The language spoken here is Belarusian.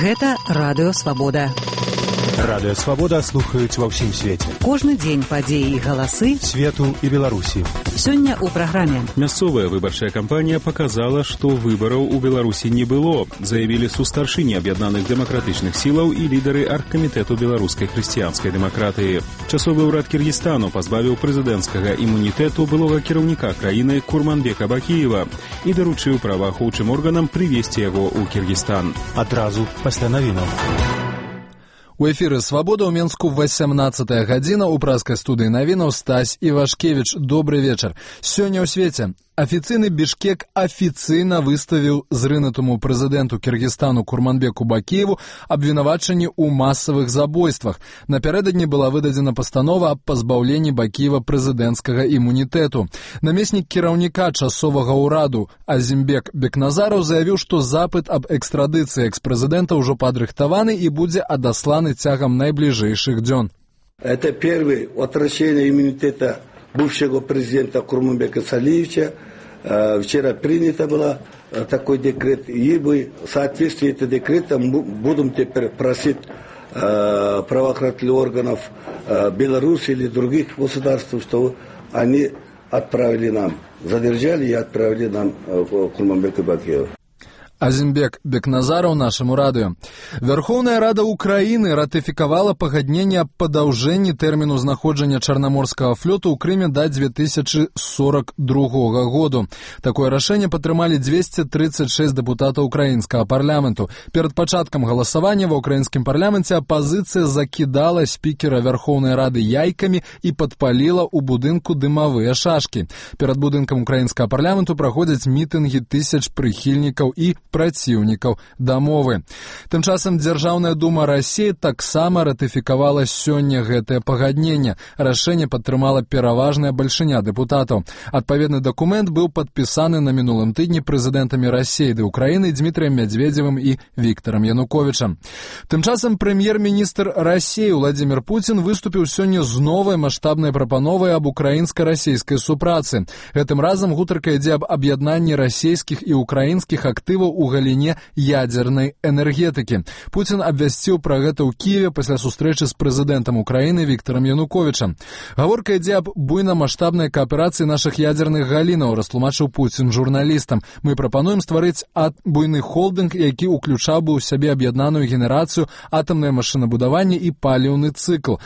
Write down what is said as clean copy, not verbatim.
Гэта Радыё Свабода. Радыё Свабода слухаюць ва ўсім свеце. Кожны дзень падзеі і галасы свету і Беларусі. Сёння ў праграме. Мясцовая выбарчая кампанія показала, што выбараў у Беларусі не было, заявілі сустаршыні аб'яднаных дэмакратычных сілаў і лідары аргкамітэту беларускай хрысціянскай дэмакратыі. Часовы ўрад Кіргізстану пазбавіў прэзідэнцкага імунітэту былога кіраўніка краіны Курманбека Бакіева і даручыў праваахоўчым органам прывесці яго ў Кіргізстан. Адразу пасля навінаў. У эфіры «Свабода» ў Менску 18 гадзіна. У праскай студыі навінаў Стась Івашкевіч. Добры вечар. Сёння ў свеце. Афіцыйны Бішкек афіцыйна выставіў зрынутаму прэзідэнту Кіргізстану Курманбеку Бакіеву абвінавачанні ў масавых забойствах. Напярэдадні была выдадзена пастанова аб пазбаўленні Бакіева прэзідэнцкага імунітэту. Намеснік кіраўніка часовага ўраду Азімбек Бекназараў заявіў, што запыт аб экстрадыцыі экспрэзідэнта ўжо падрыхтаваны і будзе адасланы цягам найбліжэйшых дзён. Это первый возвращение иммунитета бывшего президента Курманбека Салиевича. Вчера принято было такой декрет, и мы в соответствии с этим декретом будем теперь просить правоохранительных органов Беларуси или других государств, что они отправили нам, задержали и отправили нам Курманбека Бакиева. Азімбек Бекназараў нашаму радыё. Вярхоўная Рада Украіны ратыфікавала пагадненне аб падаўжэнні тэрміну знаходжання чарнаморскага флоту ў Крыме да 2042 году. Такое рашэнне падтрымалі 236 дэпутатаў украінскага парламенту. Перад пачаткам галасавання ва ўкраінскім парламенце апазіцыя закідала спікера Вярхоўнай Рады яйкамі і падпаліла ў будынку дымавыя шашкі. Перад будынкам украінскага парламенту праходзяць мітынгі тысяч прыхільнікаў і праціўнікаў дамовы. Тым часам Дзяржаўная дума Расіі таксама ратыфікавала сёння гэтае пагадненне. Рашэнне падтрымала пераважная бальшыня дэпутатаў. Адпаведны дакумент быў падпісаны на мінулым тыдні прэзідэнтамі Расіі ды Украіны Дмітрыем Мядзведзевым і Віктарам Януковічам. Тым часам прэм'ер-міністр Расіі Владзімір Пуцін выступіў сёння з новай маштабнай прапановай аб украінска-расійскай супрацы. Гэтым разам гутарка ідзе аб аб'яднанні расійскіх і украінскіх актываў у галіне ядзернай энергетыкі. Пуцін абвясціў пра гэта ў Кіеве пасля сустрэчы з прэзідэнтам Украіны Віктарам Януковічам. Гаворка ідзе аб буйнамаштабнай кааперацыі нашых ядзерных галінаў, растлумачыў Пуцін журналістам. Мы прапануем стварыць буйны холдынг, які ўключаў бы ў сябе аб'яднаную генерацыю, атамнае машынабудаванне і паліўны цыкл.